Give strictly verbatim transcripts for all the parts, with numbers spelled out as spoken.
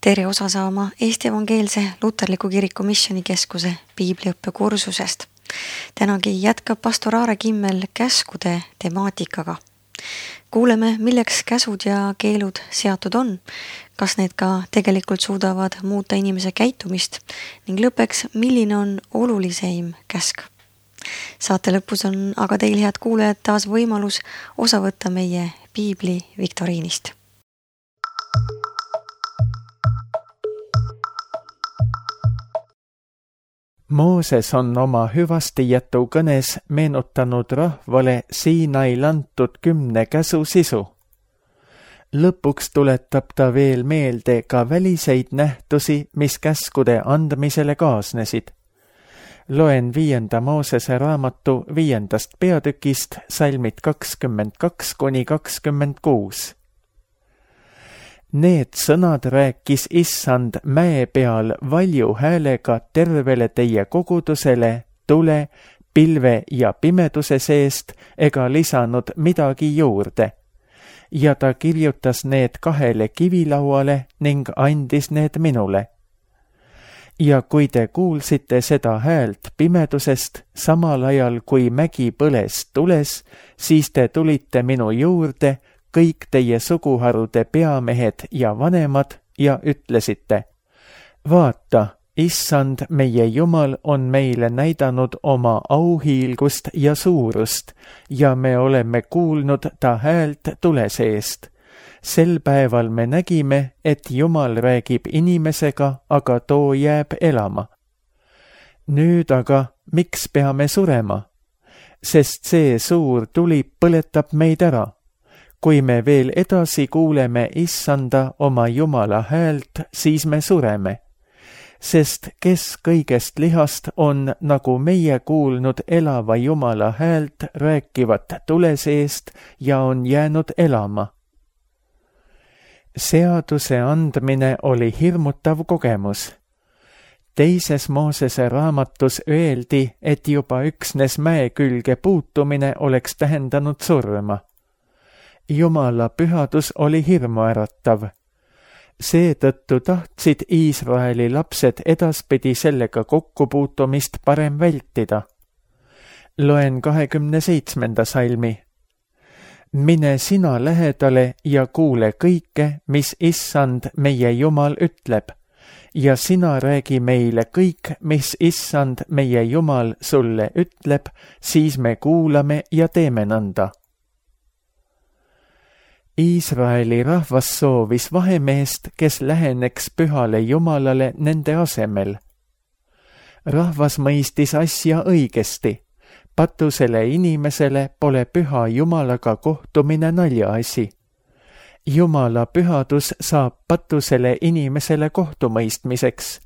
Tere osa saama Eesti Evangeelse Luterliku Kiriku Missioonikeskuse piibliõppekursusest. Tänagi jätkab pastor Aare Kimmel käskude temaatikaga. Kuuleme, milleks käsud ja keelud seatud on, kas need ka tegelikult suudavad muuta inimese käitumist ning lõppeks, milline on oluliseim käsk. Saate lõpus on aga teil, head kuulejad, taas võimalus osa võtta meie piibli viktoriinist. Mooses on oma hüvastijätu kõnes meenutanud rahvale Siinail antud kümne käsu sisu. Lõpuks tuletab ta veel meelde ka väliseid nähtusi, mis käskude andmisele kaasnesid. Loen viienda Moosese raamatu viiendast peatükist salmid kakskümmend kaks kuni kakskümmend kuus. Need sõnad rääkis Issand mäe peal valju häälega tervele teie kogudusele, tule, pilve ja pimeduse seest ega lisanud midagi juurde. Ja ta kirjutas need kahele kivilauale ning andis need minule. Ja kui te kuulsite seda häält pimedusest, samal ajal kui mägi põles tules, siis te tulite minu juurde, kõik teie suguharude peamehed ja vanemad, ja ütlesite, vaata, Issand, meie Jumal on meile näidanud oma auhiilgust ja suurust, ja me oleme kuulnud ta häält tule seest. Sel päeval me nägime, et Jumal räägib inimesega, aga too jääb elama. Nüüd aga, miks peame surema? Sest see suur tuli põletab meid ära. Kui me veel edasi kuuleme Issanda oma Jumala häält, siis me sureme. Sest kes kõigest lihast on, nagu meie kuulnud elava Jumala häält rääkivat tule seest ja on jäänud elama. Seaduse andmine oli hirmutav kogemus. Teises Moosese raamatus öeldi, et juba üksnes mäe külge puutumine oleks tähendanud surma. Jumala pühadus oli hirmuäratav. Seetõttu tahtsid Iisraeli lapsed edaspidi sellega kokkupuutumist parem vältida. Loen kahekümne seitsmenda salmi. Mine sina lähedale ja kuule kõike, mis Issand meie Jumal ütleb, ja sina räägi meile kõik, mis Issand meie Jumal sulle ütleb, siis me kuulame ja teeme nõnda. Iisraeli rahvas soovis vahemeest, kes läheneks pühale Jumalale nende asemel. Rahvas mõistis asja õigesti. Patusele inimesele pole püha Jumalaga kohtumine naljaasi. Jumala pühadus saab patusele inimesele kohtumõistmiseks.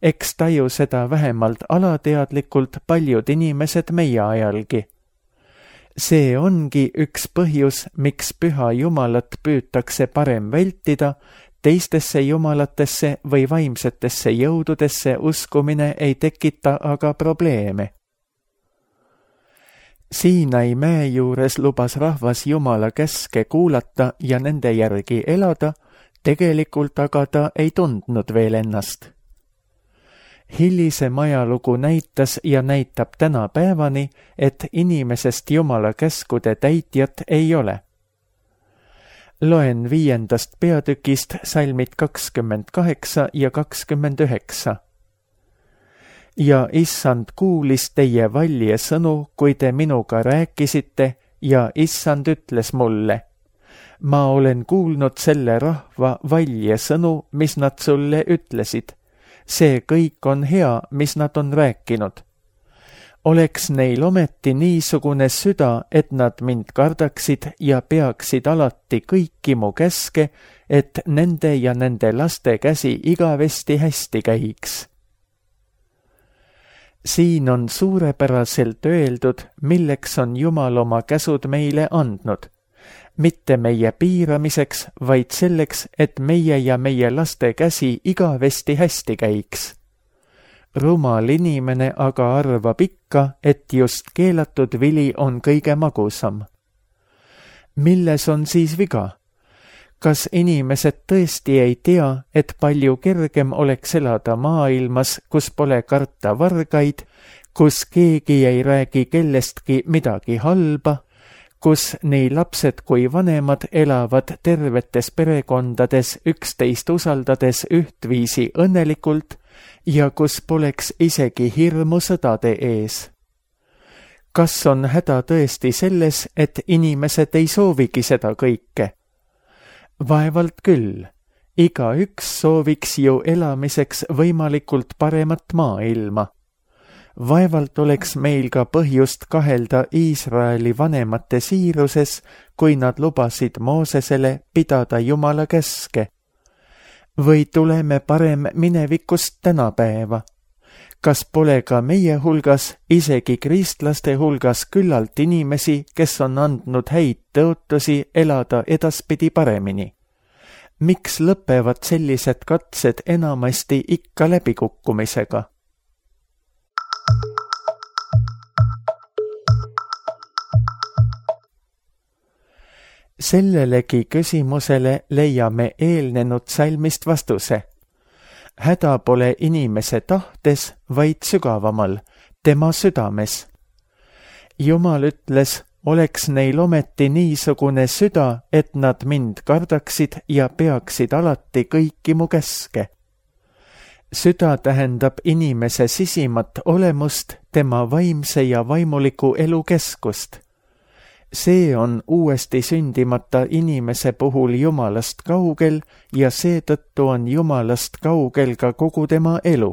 Eks taju seda vähemalt alateadlikult paljud inimesed meie ajalgi. See ongi üks põhjus, miks püha Jumalat püütakse parem vältida, teistesse jumalatesse või vaimsetesse jõududesse uskumine ei tekita aga probleeme. Siinai mäe juures lubas rahvas Jumala käske kuulata ja nende järgi elada, tegelikult aga ta ei tundnud veel ennast. Hilisem ajalugu näitas ja näitab tänapäevani, et inimesest Jumala käskude täitjat ei ole. Loen viiendast peatükist salmid kakskümmend kaheksa ja kakskümmend üheksa. Ja Issand kuulis teie valje sõnu, kui te minuga rääkisite, ja Issand ütles mulle, ma olen kuulnud selle rahva valje sõnu, mis nad sulle ütlesid. See kõik on hea, mis nad on rääkinud. Oleks neil ometi niisugune süda, et nad mind kardaksid ja peaksid alati kõiki mu käske, et nende ja nende laste käsi igavesti hästi käiks. Siin on suurepäraselt öeldud, milleks on Jumal oma käsud meile andnud. Mitte meie piiramiseks, vaid selleks, et meie ja meie laste käsi igavesti hästi käiks. Rumal inimene aga arvab ikka, et just keelatud vili on kõige magusam. Milles on siis viga? kas inimesed tõesti ei tea, et palju kergem oleks elada maailmas, kus pole karta vargaid, kus keegi ei räägi kellestki midagi halba, kus nii lapsed kui vanemad elavad tervetes perekondades üksteist usaldades ühtviisi õnnelikult ja kus poleks isegi hirmu sõdade ees. Kas on häda tõesti selles, et inimesed ei soovigi seda kõike? Vaevalt küll. Igaüks sooviks ju elamiseks võimalikult paremat maailma. Vaevalt oleks meil ka põhjust kahelda Iisraeli vanemate siiruses, kui nad lubasid Moosesele pidada Jumala käske. Või tuleme parem minevikust tänapäeva? Kas pole ka meie hulgas, isegi kristlaste hulgas küllalt inimesi, kes on andnud häid tõotusi elada edaspidi paremini? Miks lõpevad sellised katsed enamasti ikka läbikukkumisega? Sellelegi küsimusele leiame eelnenud salmist vastuse. Häda pole inimese tahtes, vaid sügavamal, tema südames. Jumal ütles, oleks neil ometi niisugune süda, et nad mind kardaksid ja peaksid alati kõiki mu käske. Süda tähendab inimese sisimat olemust, tema vaimse ja vaimuliku elu keskust. See on uuesti sündimata inimese puhul Jumalast kaugel ja seetõttu on Jumalast kaugel ka kogu tema elu.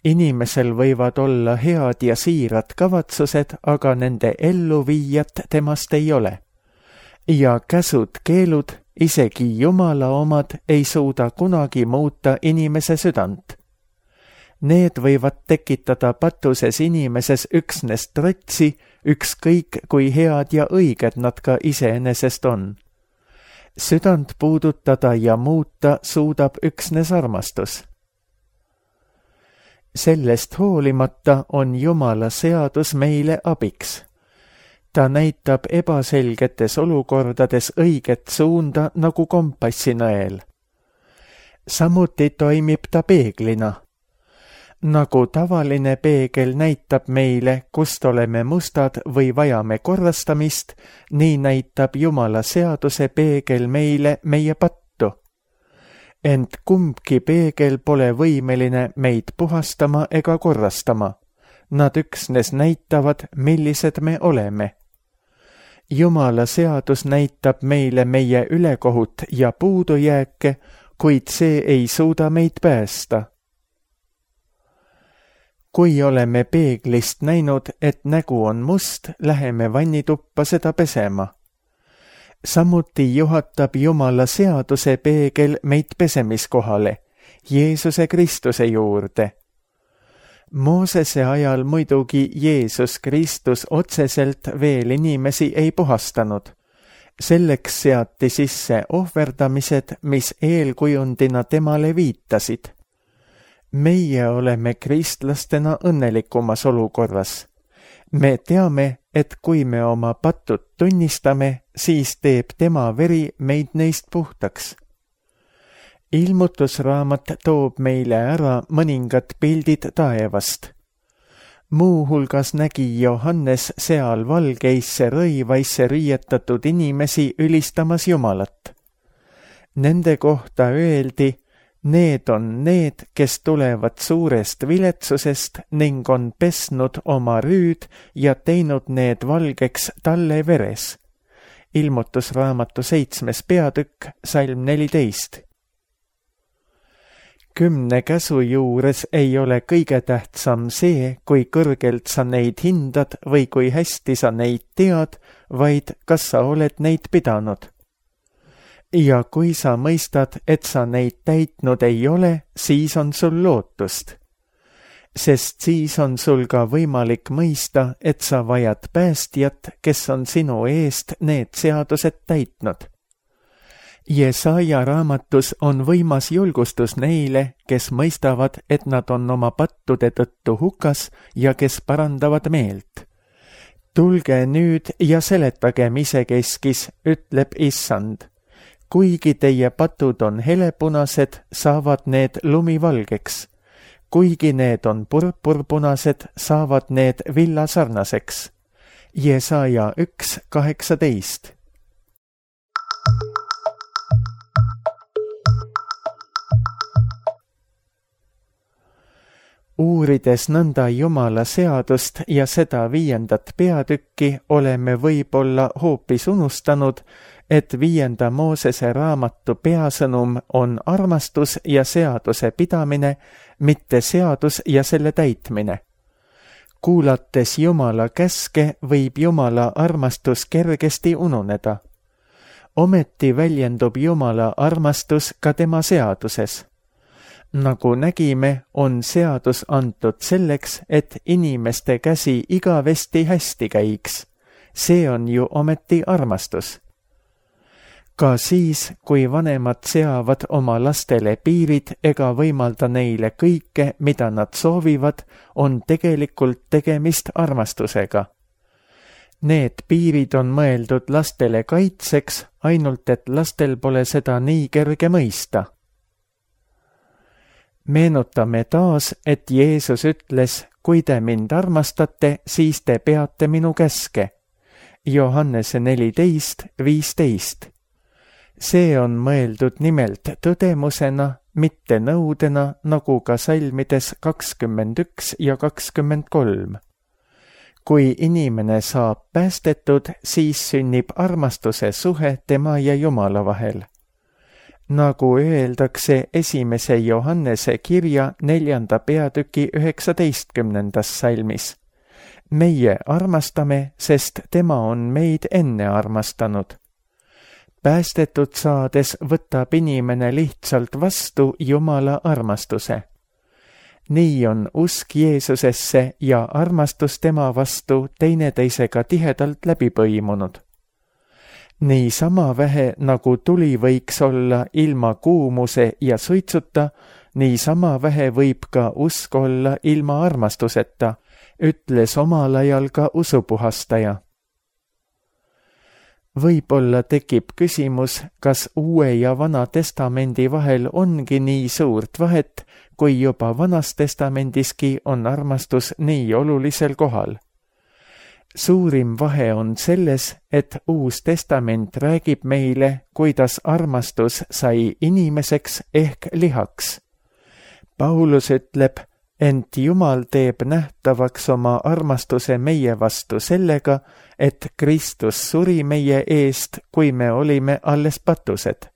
Inimesel võivad olla head ja siirad kavatsused, aga nende elluviijat temast ei ole. Ja käsud-keelud, isegi Jumala omad, ei suuda kunagi muuta inimese südant. Need võivad tekitada patuses inimeses üksnes trotsi, ükskõik kui head ja õiged nad ka iseenesest on. Südant puudutada ja muuta suudab üksnes armastus. Sellest hoolimata on Jumala seadus meile abiks. Ta näitab ebaselgetes olukordades õiget suunda nagu kompassinõel. Samuti toimib ta peeglina. Nagu tavaline peegel näitab meile, kust oleme mustad või vajame korrastamist, nii näitab Jumala seaduse peegel meile meie pattu. Ent kumbki peegel pole võimeline meid puhastama ega korrastama. Nad üksnes näitavad, millised me oleme. Jumala seadus näitab meile meie ülekohut ja puudujääke, kuid see ei suuda meid päästa. Kui oleme peeglist näinud, et nägu on must, läheme vannituppa seda pesema. Samuti juhatab Jumala seaduse peegel meid pesemiskohale, Jeesuse Kristuse juurde. Moosese ajal muidugi Jeesus Kristus otseselt veel inimesi ei puhastanud. Selleks seati sisse ohverdamised, mis eelkujundina temale viitasid. Meie oleme kristlastena õnnelikumas olukorras. Me teame, et kui me oma patud tunnistame, siis teeb tema veri meid neist puhtaks. Ilmutusraamat toob meile ära mõningad pildid taevast. Muu hulgas nägi Johannes seal valgeisse rõivaisse riietatud inimesi ülistamas Jumalat. Nende kohta öeldi, need on need, kes tulevad suurest viletsusest ning on pesnud oma rüüd ja teinud need valgeks talle veres. Ilmutusraamatu seitsmes peatükk, salm neliteist. Kümne käsu juures ei ole kõige tähtsam see, kui kõrgelt sa neid hindad või kui hästi sa neid tead, vaid kas sa oled neid pidanud. Ja kui sa mõistad, et sa neid täitnud ei ole, siis on sul lootust. Sest siis on sul ka võimalik mõista, et sa vajad päästjat, kes on sinu eest need seadused täitnud. Jesaja raamatus on võimas julgustus neile, kes mõistavad, et nad on oma pattude tõttu hukas ja kes parandavad meelt. Tulge nüüd ja seletagem isekeskis, ütleb Issand. kuigi teie patud on helepunased, saavad need lumivalgeks. Kuigi need on purpurpunased, saavad need villasarnaseks. Jesaja üks kaheksateist. Uurides nõnda Jumala seadust ja seda viiendat peatükki, oleme võib-olla hoopis unustanud, et viienda Moosese raamatu peasõnum on armastus ja seaduse pidamine, mitte seadus ja selle täitmine. Kuulates Jumala käske, võib Jumala armastus kergesti ununeda. Ometi väljendub Jumala armastus ka tema seaduses. Nagu nägime, on seadus antud selleks, et inimeste käsi igavesti hästi käiks. See on ju ometi armastus. Ka siis, kui vanemad seavad oma lastele piirid ega võimalda neile kõike, mida nad soovivad, on tegelikult tegemist armastusega. Need piirid on mõeldud lastele kaitseks, ainult et lastel pole seda nii kerge mõista. Meenutame taas, et Jeesus ütles, kui te mind armastate, siis te peate minu käske. Johannese neliteist viisteist. See on mõeldud nimelt tõdemusena, mitte nõudena, nagu ka salmides kakskümmend üks ja kakskümmend kolm. Kui inimene saab päästetud, siis sünnib armastuse suhe tema ja Jumala vahel. Nagu öeldakse esimese Johannese kirja neljanda peatüki üheksateistkümnendas salmis. Meie armastame, sest tema on meid enne armastanud. Päästetud saades võtab inimene lihtsalt vastu Jumala armastuse. Nii on usk Jeesusesse ja armastus tema vastu teineteisega tihedalt läbi põimunud. Nii sama vähe, nagu tuli võiks olla ilma kuumuse ja suitsuta, nii sama vähe võib ka usk olla ilma armastuseta, ütles omal ajal ka usupuhastaja. Võib-olla tekib küsimus, kas Uue ja Vana Testamendi vahel ongi nii suurt vahet, kui juba Vanas Testamendiski on armastus nii olulisel kohal. Suurim vahe on selles, et Uus Testament räägib meile, kuidas armastus sai inimeseks ehk lihaks. Paulus ütleb, ent Jumal teeb nähtavaks oma armastuse meie vastu sellega, et Kristus suri meie eest, kui me olime alles patused.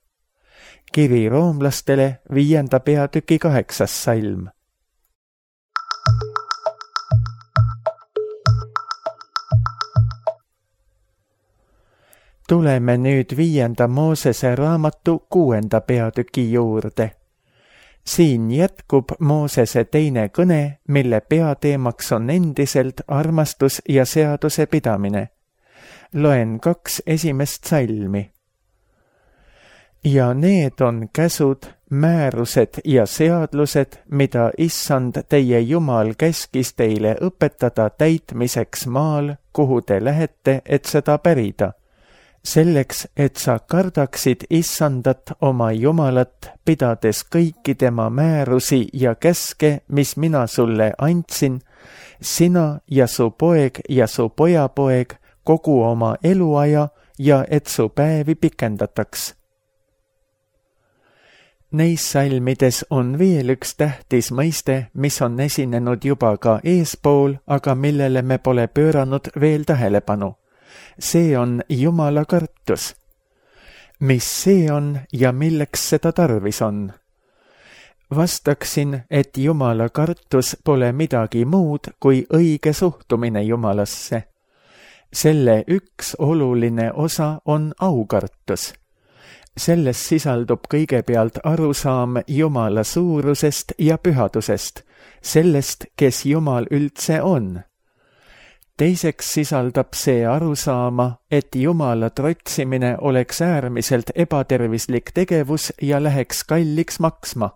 Kiri roomlastele viienda peatüki kaheksas salm. Tuleme nüüd viienda Moosese raamatu kuuenda peatüki juurde. Siin jätkub Moosese teine kõne, mille peateemaks on endiselt armastus ja seaduse pidamine. Loen kaks esimest salmi. Ja need on käsud, määrused ja seadlused, mida Issand teie Jumal käskis teile õpetada täitmiseks maal, kuhu te lähete, et seda pärida. Selleks, et sa kardaksid Issandat oma Jumalat, pidades kõiki tema määrusi ja käske, mis mina sulle andsin, sina ja su poeg ja su pojapoeg kogu oma eluaja ja et su päevi pikendataks. Neis salmides on veel üks tähtis mõiste, mis on esinenud juba ka eespool, aga millele me pole pööranud veel tähelepanu. See on Jumala kartus. Mis see on ja milleks seda tarvis on? Vastaksin, et Jumala kartus pole midagi muud kui õige suhtumine Jumalasse. Selle üks oluline osa on aukartus. Selles sisaldub kõigepealt arusaam Jumala suurusest ja pühadusest, sellest, kes Jumal üldse on. Teiseks sisaldab see arusaama, et Jumala trotsimine oleks äärmiselt ebatervislik tegevus ja läheks kalliks maksma.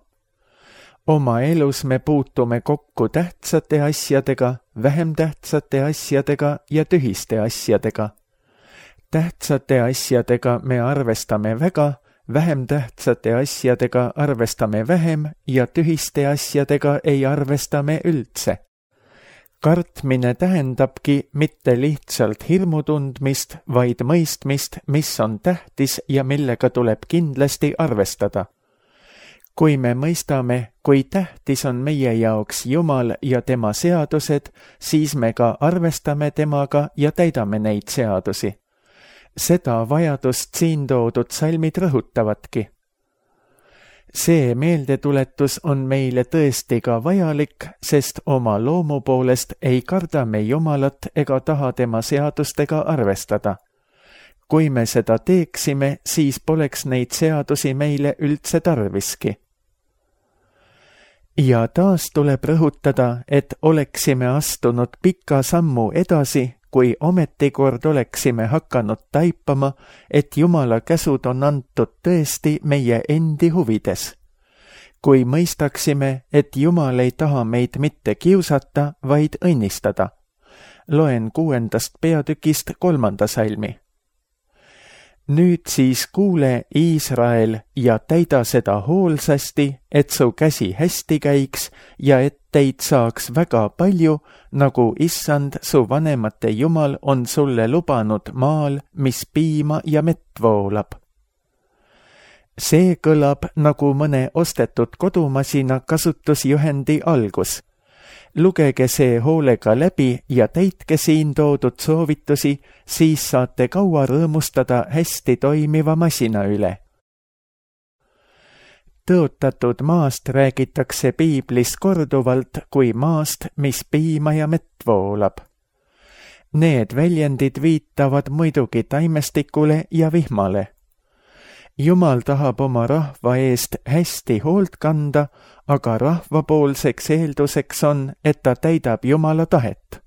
Oma elus me puutume kokku tähtsate asjadega, vähem tähtsate asjadega ja tühiste asjadega. Tähtsate asjadega me arvestame väga, vähem tähtsate asjadega arvestame vähem ja tühiste asjadega ei arvesta me üldse. Kartmine tähendabki mitte lihtsalt hirmu tundmist, vaid mõistmist, mis on tähtis ja millega tuleb kindlasti arvestada. Kui me mõistame, kui tähtis on meie jaoks Jumal ja tema seadused, siis me ka arvestame temaga ja täidame neid seadusi. Seda vajadust siin toodud salmid rõhutavadki. See meeldetuletus on meile tõesti ka vajalik, sest oma loomu poolest ei karda me Jumalat ega taha tema seadustega arvestada. Kui me seda teeksime, siis poleks neid seadusi meile üldse tarviski. Ja taas tuleb rõhutada, et oleksime astunud pika sammu edasi, kui ometikord oleksime hakanud taipama, et Jumala käsud on antud tõesti meie endi huvides. Kui mõistaksime, et Jumal ei taha meid mitte kiusata, vaid õnnistada. Loen kuuendast peatükist kolmanda salmi. Nüüd siis kuule, Iisrael, ja täida seda hoolsasti, et su käsi hästi käiks ja et teid saaks väga palju, nagu Issand, su vanemate Jumal, on sulle lubanud maal, mis piima ja mett voolab. See kõlab nagu mõne ostetud kodumasina kasutusjuhendi algus. Lugege see hoolega läbi ja täitke siin toodud soovitusi, siis saate kaua rõõmustada hästi toimiva masina üle. Tõotatud maast räägitakse piiblis korduvalt kui maast, mis piima ja mett voolab. Need väljendid viitavad muidugi taimestikule ja vihmale. Jumal tahab oma rahva eest hästi hoolt kanda, aga rahvapoolseks eelduseks on, et ta täidab Jumala tahet.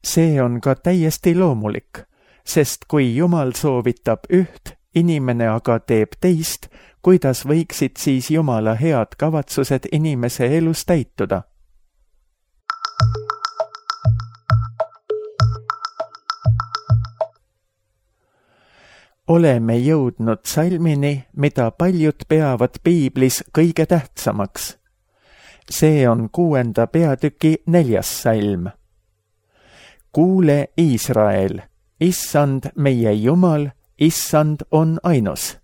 See on ka täiesti loomulik, sest kui Jumal soovitab üht, inimene aga teeb teist, kuidas võiksid siis Jumala head kavatsused inimese elus täituda? Oleme jõudnud salmini, mida paljud peavad piiblis kõige tähtsamaks. See on kuuenda peatüki neljas salm. Kuule, Iisrael, Issand meie Jumal, Issand on ainus.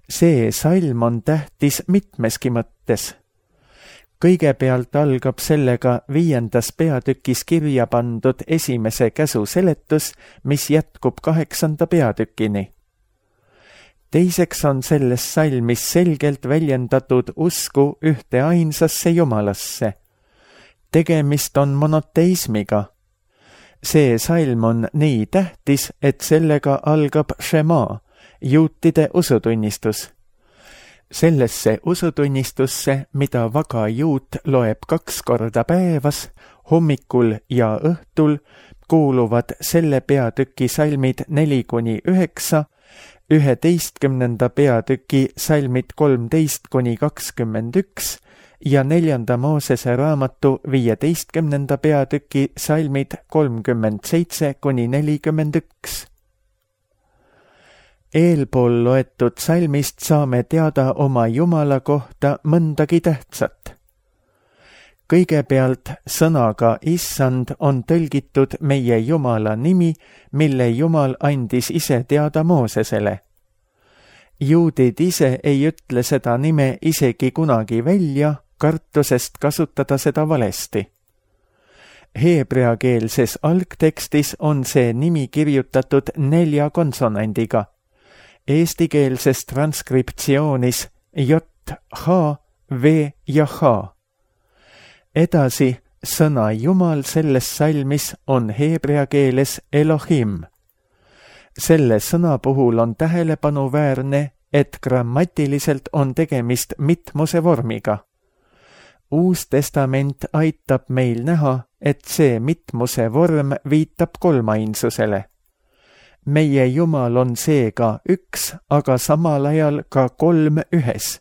See salm on tähtis mitmeski mõttes. Kõigepealt algab sellega viiendas peatükis kirja pandud esimese käsu seletus, mis jätkub kaheksanda peatükini. Teiseks on selles salmis selgelt väljendatud usku ühte ainsasse Jumalasse. Tegemist on monoteismiga. See salm on nii tähtis, et sellega algab Shema, juutide usutunnistus. Sellesse usutunnistusse, mida vaga juut loeb kaks korda päevas, hommikul ja õhtul, kuuluvad selle peatüki salmid neli kuni üheksa, üheteistkümnenda peatüki salmid kolmteist kuni kakskümmend üks ja neljanda Moosese raamatu viieteistkümnenda peatüki salmid kolmkümmend seitse kuni nelikümmend üks. Eelpool loetud salmist saame teada oma Jumala kohta mõndagi tähtsat. Kõigepealt sõnaga Issand on tõlgitud meie Jumala nimi, mille Jumal andis ise teada Moosesele. Juudid ise ei ütle seda nime isegi kunagi välja, kartusest kasutada seda valesti. Heebreakeelses algtekstis on see nimi kirjutatud nelja konsonandiga. Eestikeelses transkriptsioonis J, H, V ja H. Edasi, sõna Jumal selles salmis on heebrea keeles Elohim. Selle sõna puhul on tähelepanuväärne, et grammatiliselt on tegemist mitmuse vormiga. Uus testament aitab meil näha, et see mitmuse vorm viitab kolmainsusele. Meie Jumal on seega üks, aga samal ajal ka kolm ühes.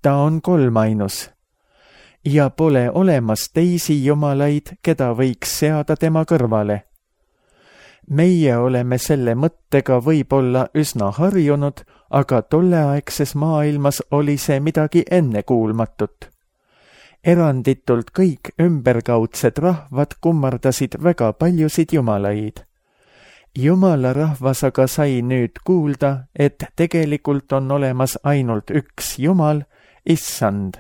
Ta on kolmainus. Ja pole olemas teisi jumalaid, keda võiks seada tema kõrvale. meie oleme selle mõttega võib-olla üsna harjunud, aga tolleaegses maailmas oli see midagi ennekuulmatut. Eranditult kõik ümberkaudsed rahvad kummardasid väga paljusid jumalaid. Jumala rahvas aga sai nüüd kuulda, et tegelikult on olemas ainult üks Jumal, Issand.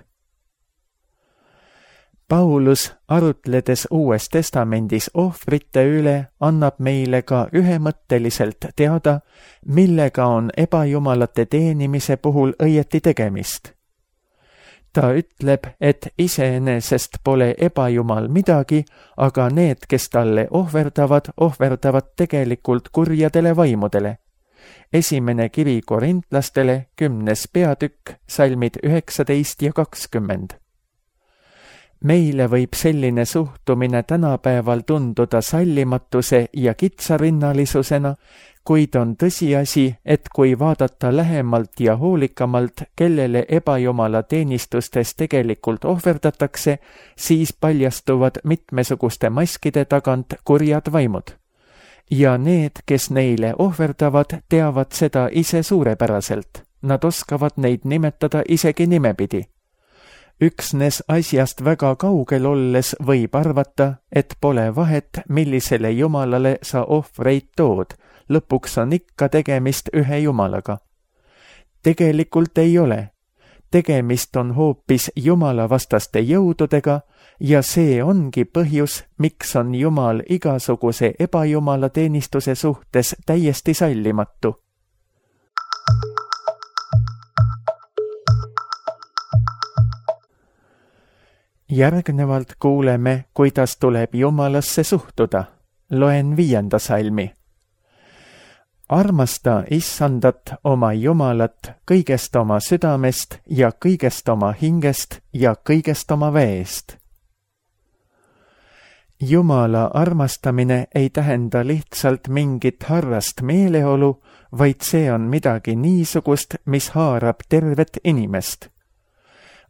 Paulus, arutledes Uues Testamendis ohvrite üle, annab meile ka ühemõtteliselt teada, millega on ebajumalate teenimise puhul õieti tegemist. Ta ütleb, et iseenesest pole ebajumal midagi, aga need, kes talle ohverdavad, ohverdavad tegelikult kurjadele vaimudele. Esimene kiri korintlastele, kümnes peatükk, salmid üheksateist ja kakskümmend. Meile võib selline suhtumine tänapäeval tunduda sallimatuse ja kitsarinnalisusena, kuid on tõsiasi, et kui vaadata lähemalt ja hoolikamalt, kellele ebajumala teenistustes tegelikult ohverdatakse, siis paljastuvad mitmesuguste maskide tagant kurjad vaimud. Ja need, kes neile ohverdavad, teavad seda ise suurepäraselt. Nad oskavad neid nimetada isegi nimepidi. Üksnes asjast väga kaugel olles võib arvata, et pole vahet, millisele jumalale sa ohvreid tood. Lõpuks on ikka tegemist ühe jumalaga. Tegelikult ei ole. Tegemist on hoopis jumala vastaste jõududega ja see ongi põhjus, miks on Jumal igasuguse ebajumala teenistuse suhtes täiesti sallimatu. Järgnevalt kuuleme, kuidas tuleb Jumalasse suhtuda. Loen viienda salmi. Armasta Issandat oma Jumalat kõigest oma südamest ja kõigest oma hingest ja kõigest oma väest. Jumala armastamine ei tähenda lihtsalt mingit harrast meeleolu, vaid see on midagi niisugust, mis haarab tervet inimest.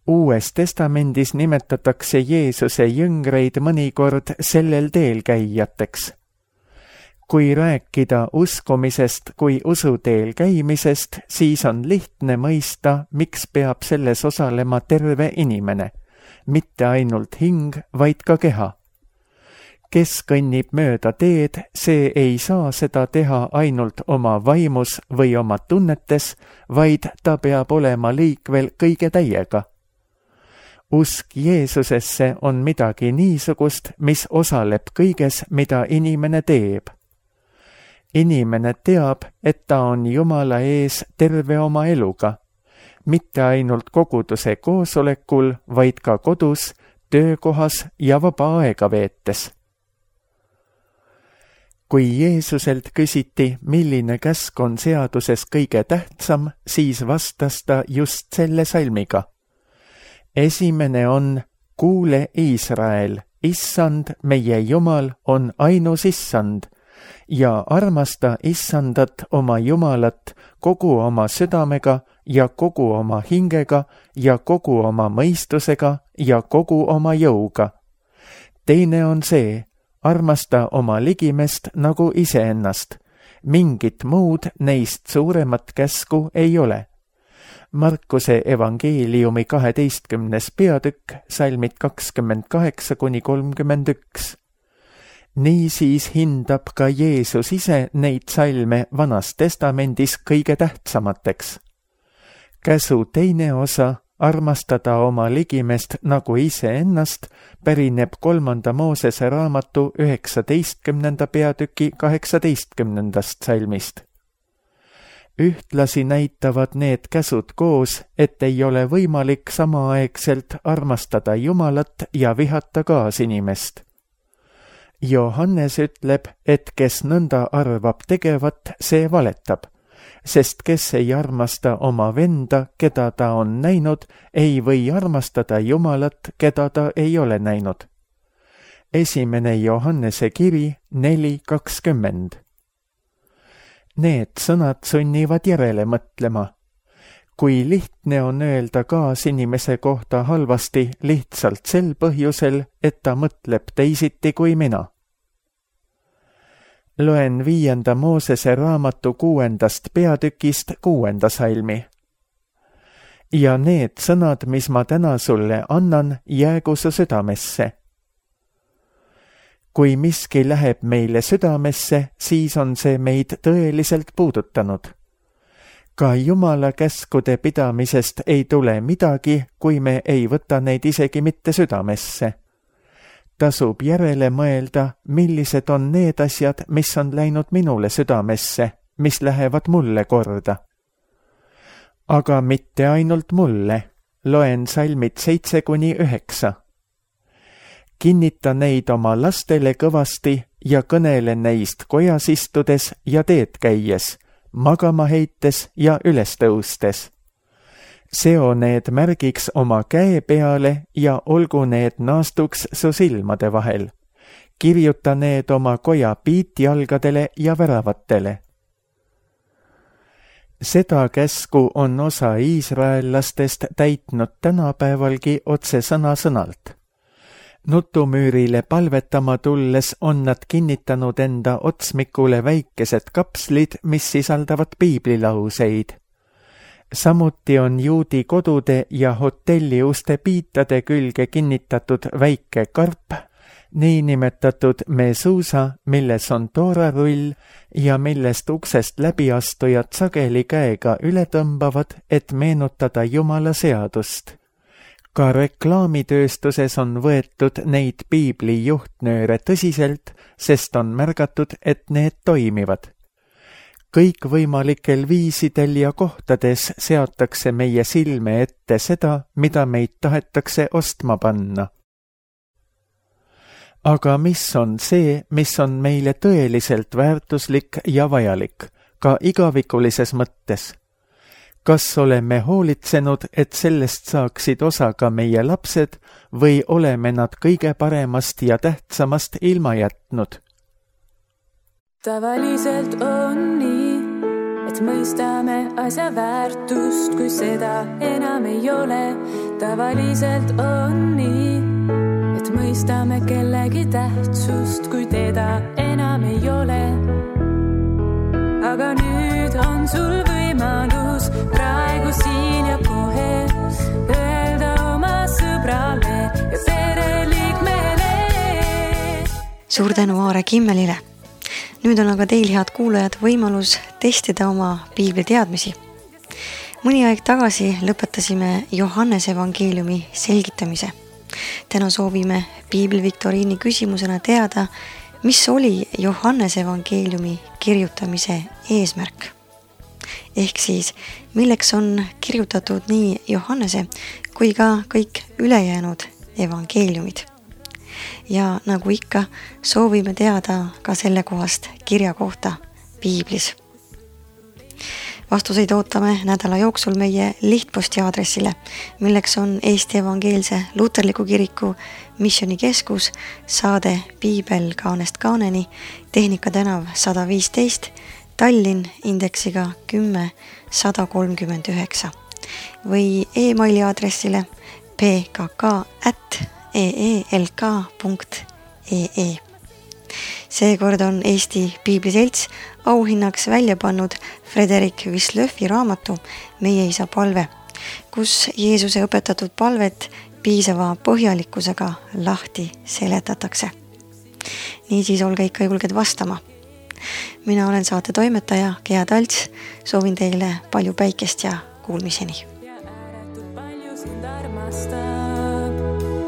Uues Testamendis nimetatakse Jeesuse jüngreid mõnikord sellel teel käijateks. Kui rääkida uskumisest kui usuteel käimisest, siis on lihtne mõista, miks peab selles osalema terve inimene, mitte ainult hing, vaid ka keha. Kes kõnnib mööda teed, see ei saa seda teha ainult oma vaimus või oma tunnetes, vaid ta peab olema liikvel kõige täiega. Usk Jeesusesse on midagi niisugust, mis osaleb kõiges, mida inimene teeb. Inimene teab, et ta on Jumala ees terve oma eluga, mitte ainult koguduse koosolekul, vaid ka kodus, töökohas ja vaba aega veetes. Kui Jeesuselt küsiti, milline käsk on seaduses kõige tähtsam, siis vastas ta just selle salmiga. Esimene on, kuule Iisrael, Issand, meie Jumal, on ainus Issand, ja armasta Issandat oma Jumalat kogu oma südamega ja kogu oma hingega ja kogu oma mõistusega ja kogu oma jõuga. Teine on see, armasta oma ligimest nagu iseennast. Mingit muud neist suuremat käsku ei ole. Markuse evangeeliumi kaheteistkümnes peatükk, salmid kakskümmend kaheksa kuni kolmkümmend üks. Niisiis hindab ka Jeesus ise neid salme Vanas Testamendis kõige tähtsamateks. Käsu teine osa, armastada oma ligimest nagu iseennast, pärineb kolmanda Moosese raamatu üheksateistkümnenda peatüki kaheksateistkümnendast salmist. Ühtlasi näitavad need käsud koos, et ei ole võimalik samaaegselt armastada Jumalat ja vihata kaasinimest. Johannes ütleb, et kes nõnda arvab tegevat, see valetab, sest kes ei armasta oma venda, keda ta on näinud, ei või armastada Jumalat, keda ta ei ole näinud. Esimene Johannese kiri neli kakskümmend. Need sõnad sunnivad järele mõtlema. Kui lihtne on öelda kaasinimese kohta halvasti lihtsalt sel põhjusel, et ta mõtleb teisiti kui mina. Loen viienda Moosese raamatu kuuendast peatükist kuuenda salmi. Ja need sõnad, mis ma täna sulle annan, jäägu su südamesse. Kui miski läheb meile südamesse, siis on see meid tõeliselt puudutanud. Ka Jumala käskude pidamisest ei tule midagi, kui me ei võta neid isegi mitte südamesse. Tasub järele mõelda, millised on need asjad, mis on läinud minule südamesse, mis lähevad mulle korda. Aga mitte ainult mulle, loen salmid seitse kuni üheksa. Kinnita neid oma lastele kõvasti ja kõnele neist kojas istudes ja teed käies, magama heites ja üles tõustes. Seo need märgiks oma käe peale ja olgu need naastuks su silmade vahel. Kirjuta need oma koja piitjalgadele ja väravatele. Seda käsku on osa iisraellastest täitnud tänapäevalgi otse sõna-sõnalt. Nutumüürile palvetama tulles on nad kinnitanud enda otsmikule väikesed kapslid, mis sisaldavad piiblilauseid. Samuti on juudi kodude ja hotelli uste piitade külge kinnitatud väike karp, niinimetatud mesuusa, milles on toorarull ja millest uksest läbiastujad sageli käega üle tõmbavad, et meenutada Jumala seadust. Ka reklaamitööstuses on võetud neid piibli juhtnööre tõsiselt, sest on märgatud, et need toimivad. Kõikvõimalikel viisidel ja kohtades seatakse meie silme ette seda, mida meid tahetakse ostma panna. Aga mis on see, mis on meile tõeliselt väärtuslik ja vajalik, ka igavikulises mõttes? Kas oleme hoolitsenud, et sellest saaksid osa ka meie lapsed või oleme nad kõige paremast ja tähtsamast ilma jätnud? Tavaliselt on nii, et mõistame asja väärtust, kui seda enam ei ole. Tavaliselt on nii, et mõistame kellegi tähtsust, kui teda enam ei ole. Aga nüüd on sul võimalus praegu siin ja kohe öelda oma sõbrale ja pereliikmele. Suur tänu Aare Kimmelile. Nüüd on aga teil, head kuulajad, võimalus testida oma piibli teadmisi. Mõni aeg tagasi lõpetasime Johannese evangeeliumi selgitamise. Täna soovime piibli viktoriini küsimusena teada, mis oli Johannese evangeeliumi kirjutamise eesmärk. Ehk siis, milleks on kirjutatud nii Johannese kui ka kõik ülejäänud evangeeliumid. Ja nagu ikka, soovime teada ka selle kohast kirja kohta piiblis. Vastuseid ootame nädala jooksul meie lihtposti aadressile, milleks on Eesti Evangeelse Luterliku Kiriku Missioonikeskus, saade Piibel kaanest kaaneni, Tehnika tänav sada viisteist, Tallinn indeksiga kümme sada kolmkümmend üheksa või e-maili aadressile p k k at e e l k punkt e e. Seekord on Eesti Piibliselts auhinnaks välja pannud Frederik Wislöfi raamatu Meie isa palve, kus Jeesuse õpetatud palvet piisava põhjalikkusega lahti seletatakse. Niisiis olge ikka julged vastama. Mina olen saate toimetaja Gea Talts, soovin teile palju päikest ja kuulmiseni.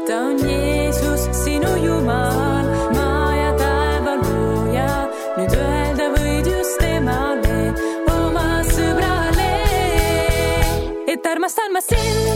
Ta on Jeesus, sinu Jumal, maa ja taeva looja. Nüüd öelda võid just temale, oma sõbrale, et armastan ma sind.